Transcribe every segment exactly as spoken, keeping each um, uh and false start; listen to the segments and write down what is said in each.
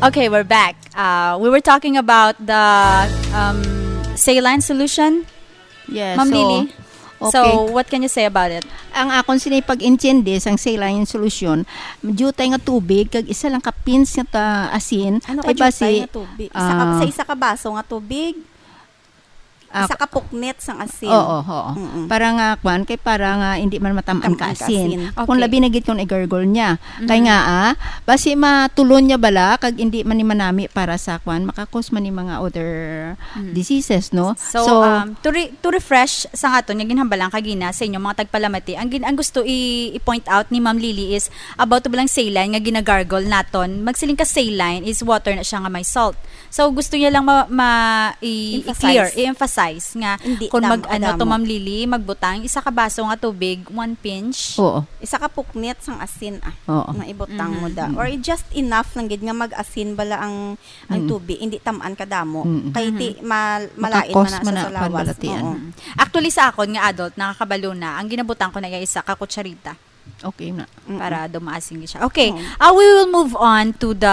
Okay, we're back. Uh, we were talking about the, um, saline solution, Yes, Ma'am so, Lily. So, okay. What can you say about it? Ang akon sini pag-intindi sang saline solution, jutay nga tubig kag isa lang ka pinch nga ta-, asin, Ano kay ka jutay basi, nga tubig? Isa ka, ah, sa isa ka baso nga tubig, ah, isa ka puknit sang asin. Oo, oo. Mm-mm. Para nga, kwan, kay para nga hindi man matamaan Tamaan ka ka asin. Asin. Kung Okay. labi na gid kung i-gargle niya. Kay Mhm. nga, ah, basi matulon niya bala, kag hindi man ni manami para sa, kwan, makakos man ni mga other Mm. diseases, no? So, So, um, to re-, to refresh sa aton nga ginhambalan kagina sa inyong mga tagpalamati, ang gin-, ang gusto i-, i-point out ni Ma'am Lily is about to balang saline nga ginagargle naton. Magsiling ka saline is water na siya nga may salt. So, gusto niya lang ma-, ma-, i-, Emphasize. i-clear, i-emphasize nga Hindi kung mag-, damo, ano to, damo. Ma'am Lily, magbutang isa ka baso nga tubig, one pinch. Oo. Isa ka puknit sang asin, ah, Oo. nga ibutang mo Mhm. da. Mm. Or just enough lang gid nga mag-asin bala ang, ang Mm. tubig, hindi tamaan kadamo. Mm. Kay ti-, Mhm. mal-, malain Makakos man na man sa na, kwan, salawas. Balatian. Oo. Mm. Actually, sa akon nga adult, nakakabalo na, ang ginabutang ko na iya isa ka kutsarita. Okay na. Mm-mm. Para dumaasing siya. Okay, Oo. ah, we will move on to the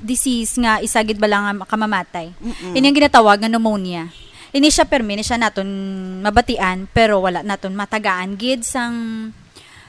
disease nga isa gid bala nga makamamatay. Mm-mm. Ini ang ginatawag nga pneumonia. Ini siya permi ni siya naton mabatian, pero wala naton matagaan gid sang,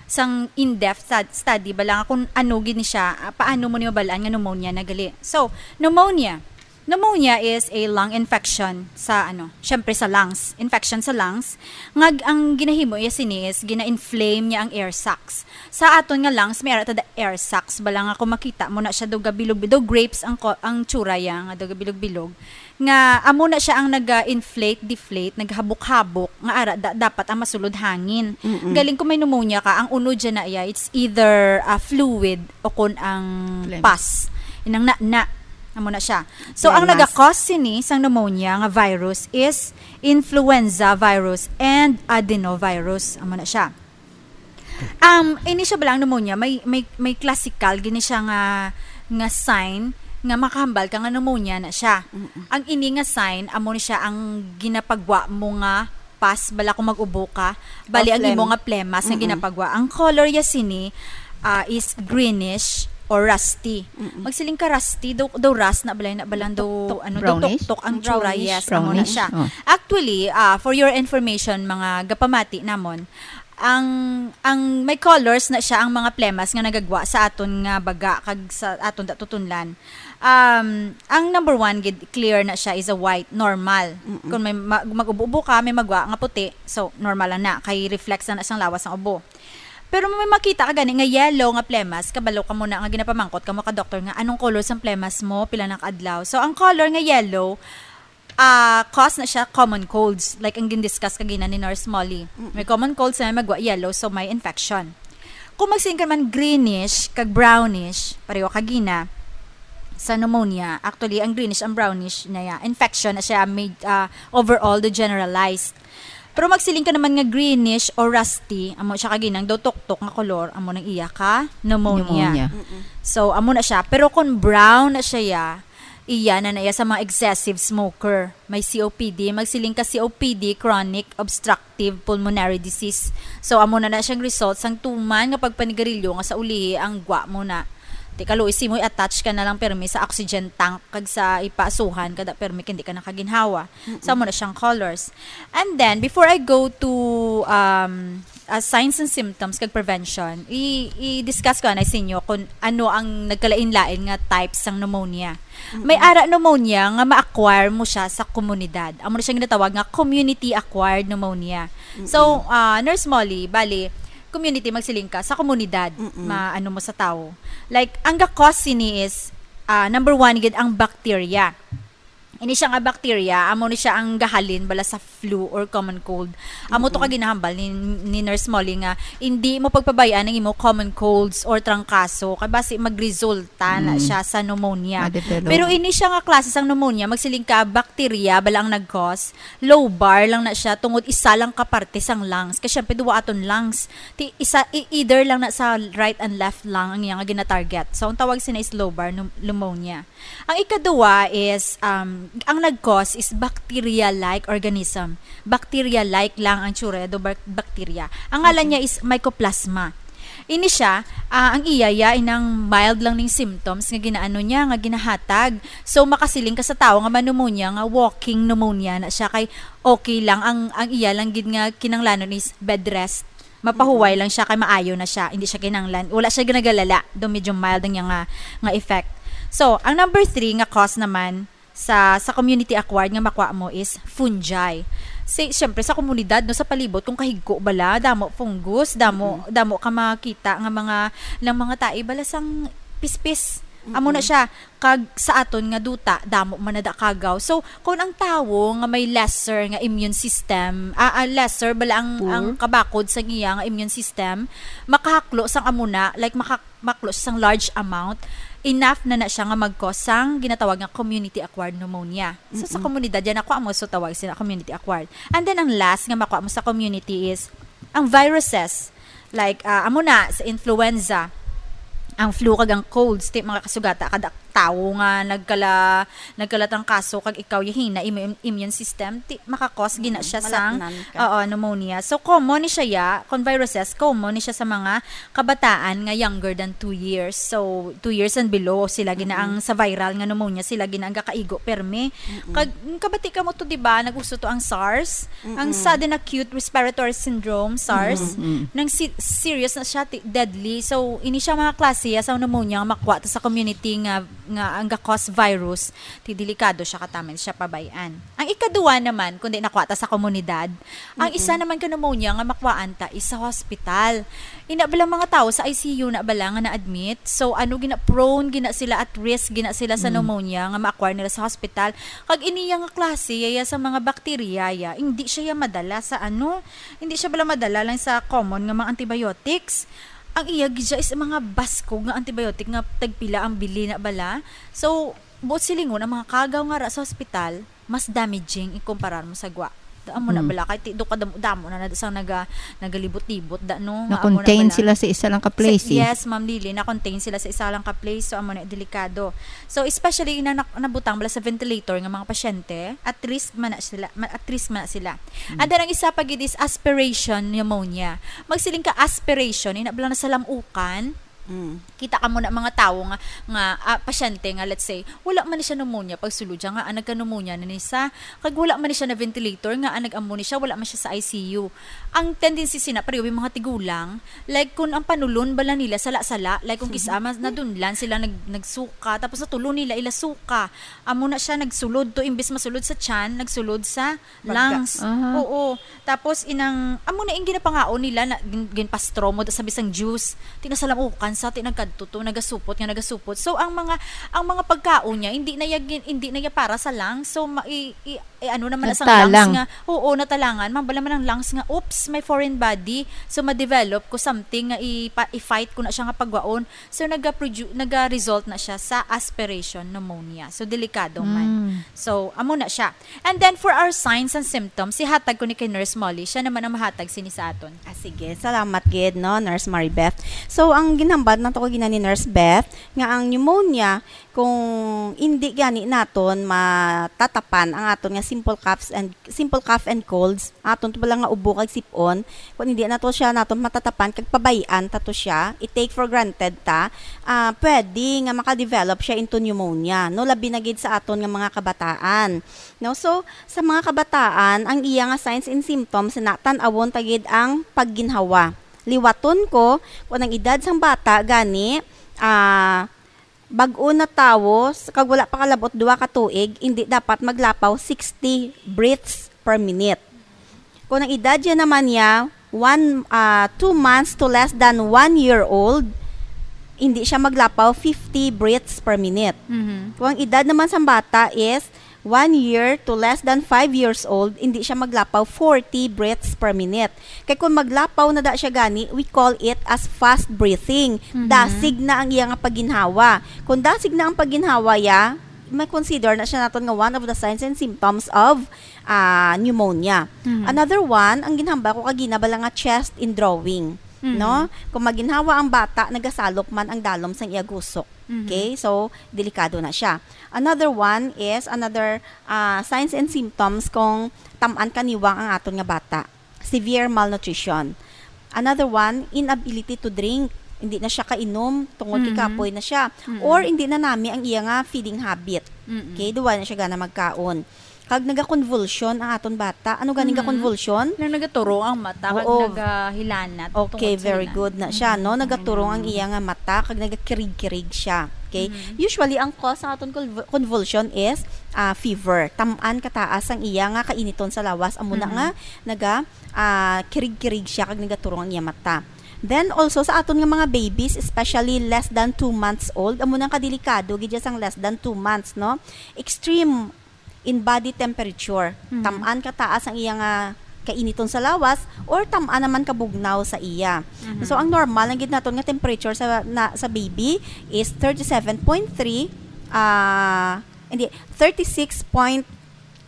sang in-depth stud-, study bala nga kung ano gid ni siya, ah, paano mo ni mabalaan nga pneumonia na gali. So, pneumonia. Pneumonia is a lung infection sa, ano, syempre sa lungs. Infection sa lungs. Nga ang ginahimo iya sini is gina-inflame niya ang air sacs. Sa aton nga lungs, may ara ta da air sacs. Bala nga kung makita mo na siya, daw gabilog, daw grapes ang ko-, ang tsura ya, nga daw gabilog-bilog. Nga amo na siya ang naga-inflate, deflate, naghabok-habok, nga ara da-, dapat ang masulod hangin. Mm-mm. Galing kung may pneumonia ka, ang unod dyan na iya, it's either, ah, fluid o kung ang Phlegm. Pus. Inang na, na. Amo na siya. So, ang Phlegmas. Naga-cause sini sang pneumonia nga virus is influenza virus and adenovirus. Amo na siya. Um, ini siya bala ang pneumonia, may, may, may classical gini siya nga, nga sign nga makahambal ka nga pneumonia na siya. Mm-mm. Ang ini nga sign, amo ni siya ang ginapagwa mo nga pus, bala kung mag-ubo ka. Bali, Or ang imo phlegm. Nga phlegmas nga Mm-mm. ginapagwa. Ang color ya sini, ah, is greenish or rusty. Mm-mm. Magsiling ka rusty, daw, daw rust na balay na balang daw, Tuktok. Ano, daw Brownish? Tuktok ang tsura, Brownish. Yes, amo na Brownish? Siya. Oh. Actually, ah, for your information, mga gapamati namon, ang, ang may colors na siya ang mga phlegmas nga nagagwa sa aton nga baga kag sa aton da tutunlan. Um, ang number one gid, clear na siya, is a white, normal. Mm-mm. Kung may ma-, mag-ubo-ubo ka, may magwa nga puti, so normal lang na, kay reflex na na sang lawas sang ubo. Pero may makita ka gani nga yellow nga phlegmas, kabalo ka mo na nga ginapamangkot ka mo ka doktor nga, "Anong color sang phlegmas mo? Pila na ka adlaw?" So, ang color nga yellow, ah, cause na siya common colds, like ang gindiscuss kagina ni Nurse Molly. Mm. May common colds na may magwa yellow, so may infection. Kung magsiling ka man greenish kag brownish, pareho kagina sa pneumonia. Actually, ang greenish, ang brownish na ya, infection na siya, may, ah, overall the generalized. Pero magsiling ka naman nga greenish or rusty, amo siya kaginang daw tuktok nga kolor, amo nang iya ka pneumonia. Pneumonia. Mm-mm. So, amo na siya. Pero kung brown na siya ya, iya na na iya sa mga excessive smoker. May C O P D, magsiling ka C O P D, chronic obstructive pulmonary disease. So, amo na na siyang result sang tuman nga pagpanigarilyo nga sa ulihi ang gwa mo na. Di ka luoy, simoy attach ka na lang permi sa oxygen tank kag sa ipaasuhan kada permi kindi ka nakaginhawa. Mm-mm. Sa amo na siyang colors. And then, before I go to, um, uh, signs and symptoms kag prevention, i-, i-discuss ko anay sa inyo kung ano ang nagkalain-lain nga types sang pneumonia. May Mm-mm. ara pneumonia nga ma-acquire mo siya sa komunidad. Amo na siya ginatawag nga community-acquired pneumonia. Mm-mm. So, ah, Nurse Molly, bali, community, magsiling ka, sa komunidad, Mm-mm. ma-, ano mo sa tao. Like, ang ga-cause sini is, ah, number one, gid ang bacteria. Ini siya nga bacteria, amo ni siya ang gahalin bala sa flu or common cold. Amo to Mm-mm. ka ginahambal ni, ni Nurse Molly nga hindi mo pagpabayaan ang imo common colds or trangkaso kay basi magresulta na Mm. siya sa pneumonia. Ma-develop. Pero ini siya nga klase sang pneumonia, magsiling ka bacteria bala ang nag-cause, lobar lang na siya tungod isa lang ka parte sang lungs. Kay syempre duwa aton lungs. Ti isa i-, either lang na sa right and left lung ang iya nga gina-target. So ang tawag sina is lobar pneu-, pneumonia. Ang ikaduwa is, um, ang nag-cause is bacteria-like organism. Bacteria-like lang ang tsura do bak-, bacteria. Ang ngalan Mm-mm. niya is Mycoplasma. Ini siya, ah, ang iya ya inang mild lang ning symptoms nga ginaano niya, nga ginahatag. So, makasiling ka sa tawo nga may pneumonia, nga walking pneumonia na siya, kay okay lang. Ang, ang iya lang gid nga kinahanglanon is bed rest. Mapahuway lang siya, kay maayo na siya. Hindi siya kinahanglan. Wala siya ginagalala. Do medyo mild ang iya nga, nga effect. So, ang number three nga cause naman sa, sa community acquired nga makuha mo is fungi. Si, syempre, sa komunidad, no, sa palibot, kung kahigko bala, damo fungus, damo, damo ka makita nga mga, lang mga tae bala sang pispis. Amo na siya, kag sa aton nga duta, damo man na da kagaw. So, kung ang tawo nga may lesser nga immune system, ah, ah, lesser bala ang, Poor. ang kabakod sa iya nga immune system, makahaklo sang amo na, like, maka-, maklo sang large amount, enough na na siya nga mag-cause sang ginatawag nga community acquired pneumonia. So, sa komunidad yan, ako amo so tawag sila community acquired. And then, ang last nga makuha mo sa community is ang viruses. Like, ah, amo na, sa influenza, ang flu kag ang colds, ti mga kasugata, kada tawo nga nagkala, nagkalatangkaso kag ikaw yahina imo im-, immune system, ti makakos gina Mm, siya sang, malatnan ka. Oo, pneumonia. So, common ni siya ya, kung viruses, common ni siya sa mga kabataan nga younger than two years. So, two years and below, sila gina Mm-mm. ang sa viral nga pneumonia, sila gina ang gakaigo permi. Mm-mm. Kag, mm, kabati ka mo to, di ba? Nag-uso to ang SARS, ang Mm-mm. sudden acute respiratory syndrome, SARS. Mm-mm. Nang si-, serious na siya, ti-, deadly. So, ini siya mga klase ya sa pneumonia nga makuha ta sa community nga, nga ang ga-cause virus, ti delikado siya, kataman siya pabayan. Ang ikaduha naman, kundi nakuha ta sa komunidad, ang isa Mm-mm. naman ka pneumonia nga makuhaan ta is sa hospital. Ina bala mga tao sa I C U na bala nga na-admit. So, ano, gina-, prone gina sila, at risk gina sila sa Mm. pneumonia nga ma-acquire nila sa hospital. Kag iniya nga klase, yaya sa mga bakterya, ya, hindi siya ya madala sa ano, hindi siya bala madala lang sa common nga mga antibiotics. Ang iya gid siya is mga baskog nga antibiotic nga tagpila ang bili na bala. So, buot silingon, ang mga kagaw nga ra sa hospital, mas damaging ikumparar mo sa gwa. Da, amo na Hmm. bala, kay ti-, do ka damo, damo na, na sang naga-, nagalibot-libot, da, no? Nga amo na Na-contain bala. sila sa isa lang ka place, Sa, eh. yes, Ma'am Lily, na-contain sila sa isa lang ka place, so amo na delikado. So, especially ina na-, nabutang bala sa ventilator nga mga pasyente, at risk man na sila, ma-, at risk man na sila. Hmm. And then, ang isa pa gid is aspiration pneumonia. Magsiling ka aspiration, ina bala na sa lamukan, Mm. Kita ka mo na mga tawo nga, nga, ah, pasyente nga, let's say, wala man ni siya pneumonia, pagsulod siya nga, ah, nagka-pneumonia na ni sa, kag wala man ni siya na ventilator nga, ah, nag-amo ni siya, wala man siya sa I C U. Ang tendency sina, pareho yung mga tigulang, like, kung ang panulon bala nila, sala-sala, like, kung kisa, mas nadunlan sila, nag-, nagsuka, tapos natulon nila, ila suka. Amo na siya, nagsulod to, imbes masulod sa tiyan, nagsulod sa Baga. lungs. Aha. Oo. Tapos inang, amo na ing ginapangaon nila na gin-, ginpastro mo sa bisang juice. Ti nasalamukan sa, ti nagkadto to, nagasupot nga nagasupot. So, ang mga, ang mga pagkaon niya, hindi na ya gin-, hindi na ya para sa lungs. So, ma-, i-, i-, i-, ano naman na sang lungs Natalang. nga, oo, natalangan. Mabala man ang lungs nga, "Oops, may foreign body." So, ma-develop ko something nga ipa-, i-fight ko na siya nga pagwaon. So, nagaprodu-, naga-result na siya sa aspiration pneumonia. So, delikado man. Mm. So, amo na siya. And then, for our signs and symptoms, ihatag ko ni kay Nurse Molly. Siya naman ang mahatag sini sa aton. Ah, sige. Salamat gid, no, Nurse Maribeth. So, ang ginhambal nato ko gina ni Nurse Beth, nga ang pneumonia, kung hindi gani naton matatapan ang aton nga simple coughs and, simple cough and colds, aton to bala nga ubo kag sip-on, kung hindi nato siya naton matatapan kag pabayan ta to siya, i-take for granted ta, ah, pwede nga makadevelop siya into pneumonia, no? Labi na gid sa aton nga mga kabataan. No? So, sa mga kabataan, ang iya nga signs and symptoms na tan-awon ta gid ang pagginhawa. Liwaton ko, kung ang edad sang bata gani, ah, bag-o na tawo, s-, kag wala pa kalabot duha ka tuig, hindi dapat maglapaw sixty breaths per minute. Kung ang edad niya naman niya, one, ah, two months to less than one year old, hindi siya maglapaw fifty breaths per minute. Mhm. Kung ang edad naman sa bata is one year to less than five years old, hindi siya maglapaw forty breaths per minute. Kay kung maglapaw na da siya gani, we call it as fast breathing. Mhm. Dasig na ang iya nga pagginhawa. Kung dasig na ang pagginhawa ya, may consider na siya naton nga one of the signs and symptoms of, ah, pneumonia. Mhm. Another one, ang ginhambal ko kagina bala nga chest in drawing, Mhm. no? Kung maginhawa ang bata, nagasalok man ang dalom sang iya gusok. Mhm. Okay? So, delikado na siya. Another one is, another, ah, signs and symptoms kung tam-an kaniwang ang aton nga bata. Severe malnutrition. Another one, inability to drink. Hindi na siya kainom, tungod kay Mhm. kapoy na siya. Mm-mm. Or hindi na nami ang iya nga feeding habit. Mm-mm. Okay, duwa na siya gana magkaon. Kag nagakonvulsyon ang aton bata. Ano ganing Mhm. gakonvulsyon? Nang nagaturong ang mata, kag Oo. nagahilanat Okay, tungod sa very hilanat. good na siya, no? Mhm. Nagaturong ang Mhm. iya nga mata, kag nagakirig-kirig siya. Okay? Mhm. Usually, ang cause sa aton convul-, convulsion is, ah, fever. Tam-an kataas ang iya nga kainiton sa lawas. Amo na Mhm. nga, naga, ah, kirig-kirig siya, kag nagaturong ang iya mata. Then, also, sa aton nga mga babies, especially less than two months old, amo nang kadelikado gid siya sang less than two months, no? Extreme in body temperature. Mhm. Tam-an kataas ang iya nga kainiton sa lawas or tam-an naman kabugnaw sa iya. Mhm. So, ang normal lang gid naton nga temperature sa, na, sa baby is thirty-seven point three, ah, hindi, thirty-six point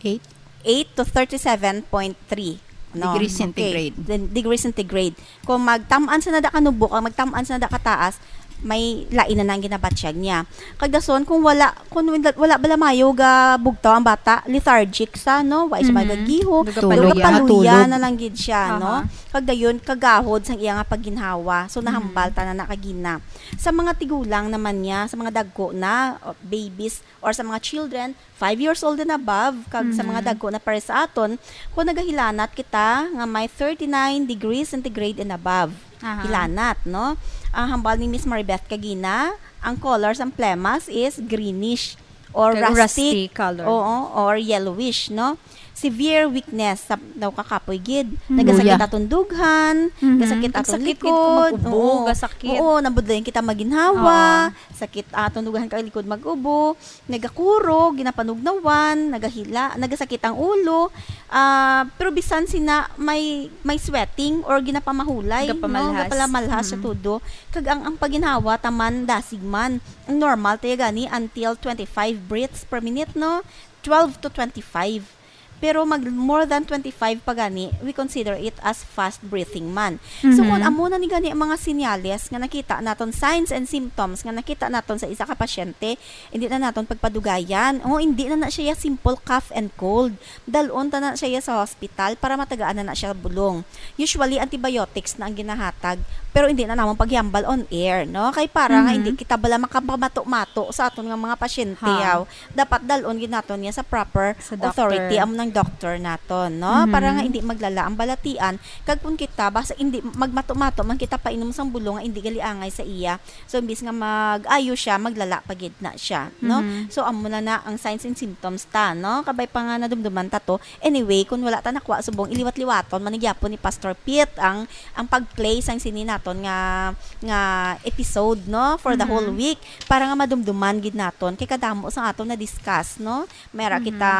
eight? Eight to thirty-seven point three, no? Degree Okay. centigrade. Then, degree centigrade. Kung magtam-an sa nada kanubo, kung magtam-an sa nada kataas, may lain na nang ginabatyag niya. Kag dason, kung wala, kung wala, wala bala mayo ga bugtaw ang bata, lethargic sa, no? Wa siya Mhm. magagiho, Tulog. Tulog, paluya tulog. na lang gid siya, no? Aha. Kag dayon, kagahod sang iya nga pagginhawa. So, nahambal Mhm. ta na na kagina. Sa mga tigulang naman niya, sa mga dagko na, o, babies, or sa mga children, five years old and above, kag sa mga Mhm. dagko na pares sa aton, kung nagahilanat kita nga may thirty-nine degrees centigrade and above. Aha. Hilanat, no? Ang hambal ni Miss Maribeth kagina, ang color sang plemas is greenish or Kag rustic. rusty color. Oo, or yellowish, no? Severe weakness, sa, daw kakapoy gid. Mhm. Nagasakit Luya. atong dughan, Mhm. gasakit atong Gasakit gid likod. kung mag-ubo, Oo. gasakit. Oo, nabudlayan kita maginhawa, Oo. sakit atong dughan kag likod mag-ubo. Nagakurog, ginapanugnawan, nagahila, nagasakit ang ulo, ah, pero bisan sina may, may sweating or ginapamahulay, no? Gapamalhas. Gapamalhas sa Mm. todo. Kag ang, ang paginhawa, taman dasig man. Ang normal, tayo gani, until twenty-five breaths per minute, no? Twelve to twenty-five. Pero mag more than twenty-five pa gani, we consider it as fast breathing man. So, kung Mhm. amo na ni gani ang mga senyales nga nakita naton, signs and symptoms nga nakita naton sa isa ka pasyente, hindi na naton pagpadugayan. O, hindi na na siya simple cough and cold. Dalon ta na siya sa hospital para matagaan na na siya bulong. Usually, antibiotics na ang ginahatag, pero hindi na namon paghambal on air, no? Kay para nga Mhm. hindi kita bala makapamato-mato sa aton nga mga pasyente, Ha. yaw. Dapat dalon gid naton niya sa proper Sa authority, doctor. amo nang doctor naton, no? Mhm. Para nga hindi maglala ang balatian. Kag kung kita, basta hindi magmato-mato man kita painom sang bulong nga hindi gali angay sa iya. So, imbis nga mag-ayo siya, maglala pa gid na siya, no? Mhm. So, amo na na ang signs and symptoms ta, no? Kabay pa nga nadumduman ta to. Anyway, kung wala ta nakuha subong, iliwat-liwaton man gyapon ni Pastor Pete ang, ang pag-play sang sini naton nga, nga episode, no? For the Mhm. whole week, para nga madumduman gid naton. Kay kadamo sa aton na-discuss, no? May ara Mhm. kita,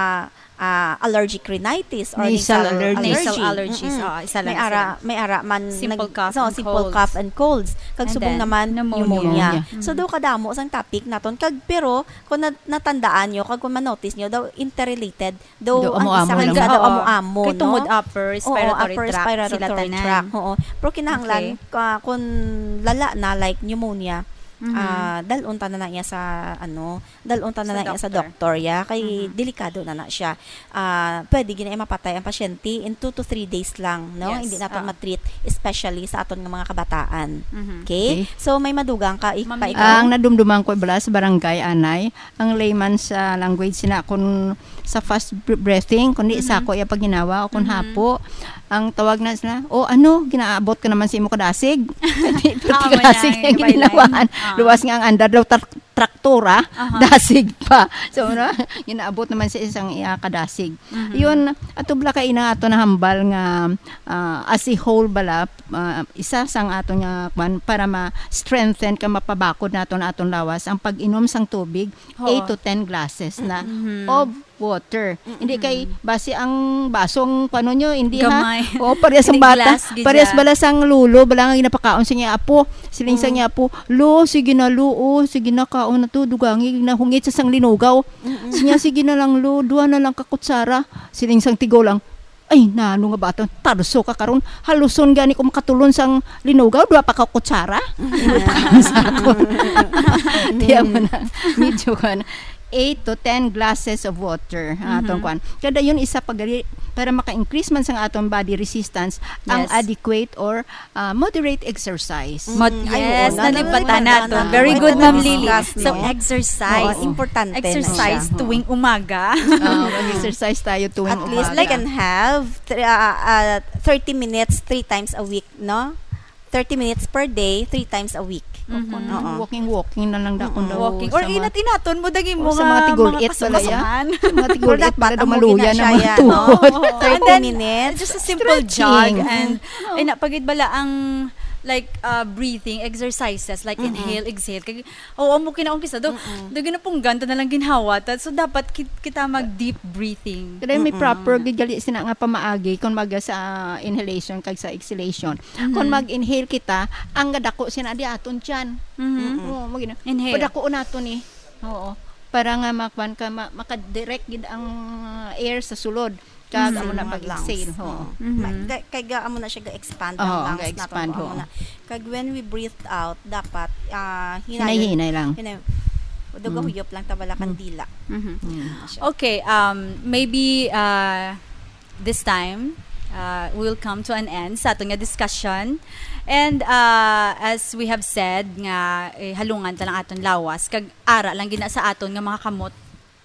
ah, allergic rhinitis or Nasal nasal allergies. allergy. Nasal allergies, Mm-mm. oo, isa lang May ara, sila. may ara man Simple nag-, cough so, and simple colds. cough and colds. Kag And subong then, naman, pneumonia. pneumonia. Pneumonia. So, Mm. daw kadamo sang topic naton. Kag, pero, kung na-, natandaan nyo, kag kung ma-notice nyo, daw interrelated, daw Do ang isa amo-amo kag lang. isa daw Oo. amo-amo, Kay no? tungod upper Oo, respiratory upper tract sila respiratory tanan. tract. Oo. Pero kinahanglan, Okay. ka-, kung lala na, like pneumonia, Mhm. ah, dalon ta na na iya sa, ano, dalon ta na Sa na iya sa doctor. doktor, ya. Kay Mhm. delikado na na siya. Ah, pwede gid na mapatay ang pasyente in two to three days lang, no? Yes. Hindi naton Ah. ma-treat, especially sa aton nga mga kabataan. Mhm. Okay? Okay. So, may madugang ka, ik-, Ma'am pa Nico? ikaw? Ang nadumduman ko, bala, sa barangay, anay, ang layman's, ah, language sina kun sa fast br-, breathing, kundi Mhm. sa ako iya paghinawa o kun Mhm. hapo, ang tawag na sila, "O, ano, ginaabot ka naman sa imo kadasig?" Di, pati Ah, kadasig manay, ang may ginawaan. line. Ah. Luwas nga ang andar daw, trak-, traktora, Aha. dasig pa. So, no, ginaabot naman sa isang iya kadasig. Mhm. Yun, ato bala ka ina ato nahambal nga, ah, as a whole bala, ah, isa sang ato nga, kwan, para ma-strengthen ka, mapabakod nato na aton lawas, ang pag-inom sang tubig, Oo. eight to ten glasses na Mhm. of water. Mm-mm. Hindi kay basi ang basong, kuwan nyo, hindi, ha? Gamay. O, parehas ang Hindi bata. glass, gid Parehas siya. bala sang lolo, bala nga ginapakaon sa niya apo. Siling sa Mm. niya apo, "Lo, sige na, lo, o, sige na, kaon na to, dugangi na hungit sa sang linugaw." Mm-mm. Siya, "Sige na lang, lo, duha na lang ka kutsara." Siling sang tigo lang, "Ay, nano nga bata, tarso ka karon. Haluson gani ko makatulon sang linugaw, duha pa ka kutsara." Sa akon. Tiyan mo na. Medyo kan eight to ten glasses of water. Ah, Mhm. atong kwan. Kada yun, isa pa gali, para maka-increase man sang aton body resistance ang Yes. adequate or ah, moderate exercise. Mot- Mm, ay, yes, oo, nalipatan nalipatan nato. na. Very Pwede good, na Ma'am Lily. discuss, So, no? Exercise. Oo, importante na Exercise siya. tuwing umaga. Ah, mag-exercise tayo tuwing At least umaga. we can have thr- uh, uh, thirty minutes three times a week, no? Thirty minutes per day, three times a week. Mhm. Oo. Walking, walking na lang daw kung Mm-mm. daw Walking. sa Or mga- inat-inaton mo daging o mo sa nga mga tigul-it pala, kasamasaman. Sa mga tigul-it Dapat pala daw amo maluya gina na siya mga yan, no? tuhod. Thirty And then, minutes. Just a simple Stretching. jog and Oo. ay na pagid bala ang like uh, breathing exercises like Mm-mm. inhale, exhale. Kag oo, mo kinaon kisa do. Mm-mm. Do ginapunggan ta na lang ginhawa ta. So dapat kit- kita mag deep breathing. Kaya may Mm-mm. proper gid gali sina nga pamaagi kung maga sa inhalation kag sa exhalation. Mhm. Kung mag-inhale kita, ang gadako sina di aton tiyan. Mhm. Mm-mm. Oo, mo gina. Inhale. Padakuon nato ni. Oo. Para nga makwan ka ma- makadirect gid ang air sa sulod. Kag Mm. amo na Mga pag-exhale. lungs. Oo. Oo. Mhm. Ma- kay, kay ga-, amo na siya ga-expand Oo, ang lungs ga-expand, nato. Amo oo. Na. Kag when we breathe out, dapat ah, Hinay-hinay lang. Hinay, do Mm. gahuyop lang ta bala kandila. Mhm. Mm. Siya. Okay, um, maybe uh, this time uh, we'll come to an end sa aton nga discussion. And uh, as we have said nga eh, halungan ta lang aton lawas kag ara lang gina sa aton nga mga kamot,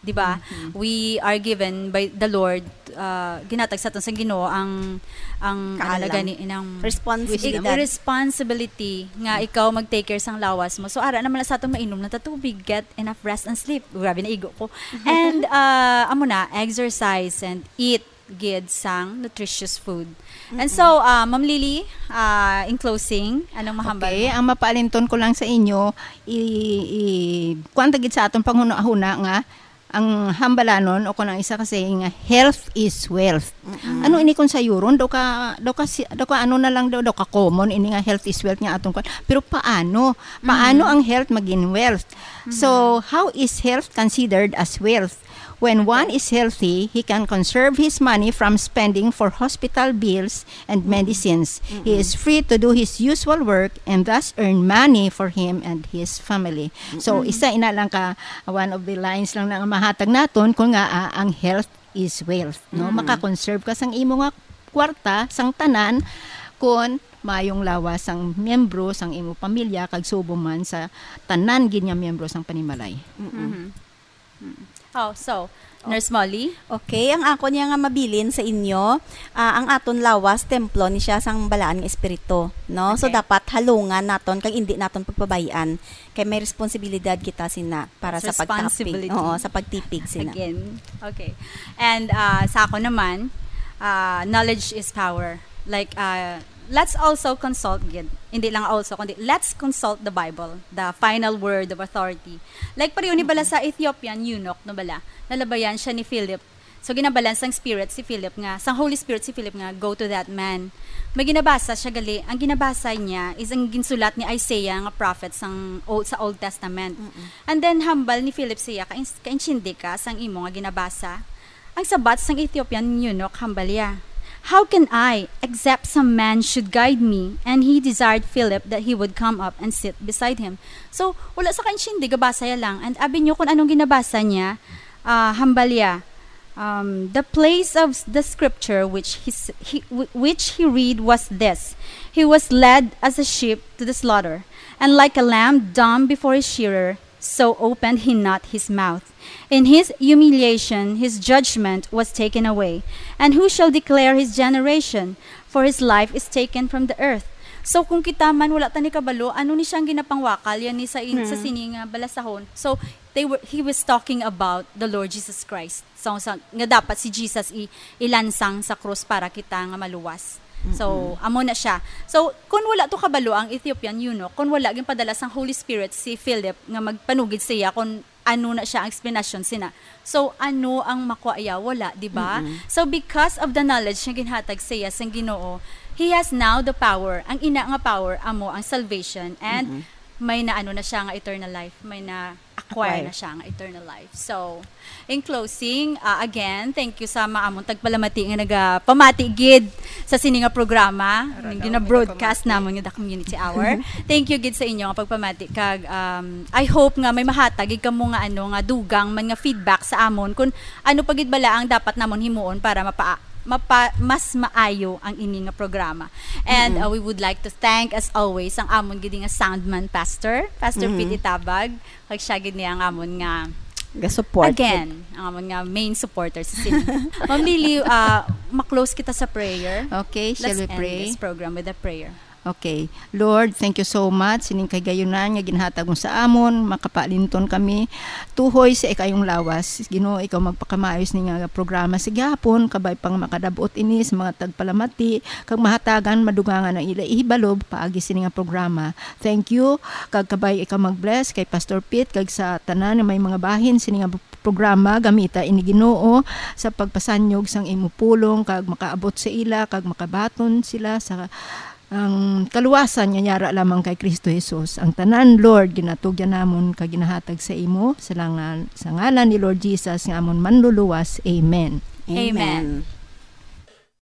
di ba? We are given by the Lord uh, ginatag sa aton sa Ginoo ang ang ano na Kaalam. Gani inang Responsibilidad. Responsibility nga ikaw mag-take care sang lawas mo. So ara naman na sa atong mainom na ta tubig, get enough rest and sleep. Grabe na igo ko. And uh, amo na, exercise and eat gid sang nutritious food. And so, uh, Ma'am Lily, uh, in closing, anong mahambal Okay, mo? Ang mapaalinton ko lang sa inyo, i, i kuwan ta gid sa aton panghuna-huna nga ang hambalanon o kung ang isa ka saying nga health is wealth. Ano ini kung sayuron daw ka daw ka si- daw ka ano na lang daw daw ka common ini nga health is wealth nga atong kuwan. Pero paano? Paano ang health maging wealth? So, how is health considered as wealth? When one is healthy, he can conserve his money from spending for hospital bills and medicines. He is free to do his usual work and thus earn money for him and his family. So, isa ina lang ka one of the lines lang na mahatag naton kung nga ah, ang health is wealth, no? Maka-conserve ka sang imo nga kwarta sang tanan kun mayong lawas sang miyembro sang imo pamilya kag subong man sa tanan gid nga miyembro sang panimalay. Mhm. Mm. Oh, so, Nurse Molly? Okay, ang ako niya nga mabilin sa inyo, ah, ang aton lawas templo ni siya sang balaan nga espiritu, no? So Okay. Dapat halungan naton kag indi naton pagpabayan kay may responsibilidad kita sina para That's sa pagtapig. responsibility. Oo, sa pagtipig sina. Again. Okay. And uh, sa ako naman, uh, knowledge is power. Like, uh, let's also consult gid. Hindi lang also, kundi let's consult the Bible, the final word of authority. Like, pareho ni bala sa Ethiopian eunuch, no bala? Nalabayan siya ni Philip. So, ginabalan sang spirit si Philip nga, sang Holy Spirit si Philip nga, "Go to that man." May ginabasa siya gali. Ang ginabasa niya is ang ginsulat ni Isaiah nga prophet sang old, sa Old Testament. And then, hambal ni Philip siya, "Kain-, kaintindi ka sang imo nga ginabasa?" Ang sabat sang Ethiopian eunuch, hambal niya, "How can I, except some man should guide me?" And he desired Philip that he would come up and sit beside him. So, wala sa kaintindi, gabasa ya lang. And abi niyo kung anong ginabasa niya, ah, hambal niya, um, the place of the scripture which he, s- he, wh- which he read was this: "He was led as a sheep to the slaughter, and like a lamb dumb before his shearer, so opened he not his mouth. In his humiliation, his judgment was taken away. And who shall declare his generation? For his life is taken from the earth." So, kung kita man, wala ta ni kabalo, ano ni siyang ginapangwakal, yan ni sa, in, sa sini nga balasahon. So, they were, he was talking about the Lord Jesus Christ. So, sa, nga dapat si Jesus i, ilansang sa krus para kita nga maluwas. So, amo na siya. So, kung wala to kabalo ang Ethiopian eunuch, kung wala ginpadala sang Holy Spirit si Philip nga magpanugid siya kung ano na siya ang explanation sina. So, ano ang makuha iya? Wala, di ba? So, because of the knowledge nga ginhatag siya sang Ginoo, he has now the power. Ang ina nga power amo ang salvation and may na ano na siya nga eternal life, may na acquire Acquire. na siya nga eternal life. So, in closing, uh, again, thank you sa mga among tagpalamati nga nagapamati gid sa sini nga programa, nga gina-broadcast namon nga The Community Hour. Thank you gid sa inyo nga pagpamati kag um, I hope nga may mahatag gid kamo nga ano nga dugang man nga feedback sa amon kung ano pa gid bala ang dapat namon himuon para mapa mapa, mas maayo ang ini nga programa. And uh, we would like to thank, as always, ang amon gid nga soundman, Pastor, Pastor Pete Itabag, kag siya gid ni ang amon nga, Ga-support. Again, ang amon nga main supporter sa sini. Ma'am Lily, uh, ma-close kita sa prayer. Okay, shall Let's we end pray? This program with a prayer. Okay. Lord, thank you so much sining kahigayunan nga ginhatag mo sa amon, makapaalinton kami tuhoy sa ikayong lawas. Ginoo, ikaw magpakamaayos ni nga programa sa gihapon, kabay pang makadab-ot ini sa mga tagpalamati, kag mahatagan madugangan ang ila ihibalo paagi sini nga programa. Thank you, kag kabay ikaw mag-bless kay Pastor Pete kag sa tanan nga may mga bahin sini nga programa. Gamita ini, Ginoo, sa pagpasanyog sang imo pulong kag makaabot sa ila kag makabaton sila sa ang kaluwasan nga yara lamang kay Kristo Jesus. Ang tanan, Lord, ginatugyan namon kag ginahatag sa imo sa langan, sa ngalan ni Lord Jesus nga amon manluluwas. Amen. Amen.